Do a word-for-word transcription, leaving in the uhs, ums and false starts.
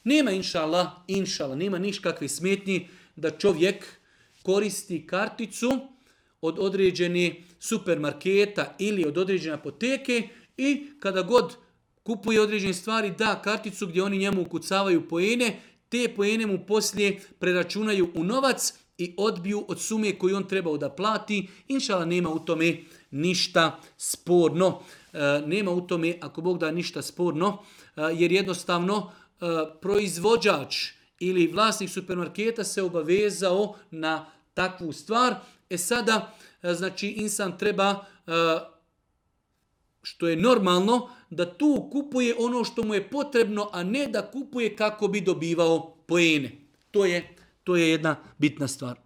Nema inšallah, inšallah, nema niškakve smetnji da čovjek koristi karticu od određene supermarketa ili od određene apoteke i kada god kupuje određene stvari da karticu gdje oni njemu ukucavaju poene, te poene mu poslije preračunaju u novac i odbiju od sume koju on trebao da plati. Inšallah nema u tome ništa sporno. E, nema u tome, ako Bog da, ništa sporno, e, jer jednostavno e, proizvođač ili vlasnik supermarketa se obavezao na takvu stvar. E sada, e, znači, insan treba, e, što je normalno, da tu kupuje ono što mu je potrebno, a ne da kupuje kako bi dobivao poene. To je, to je jedna bitna stvar.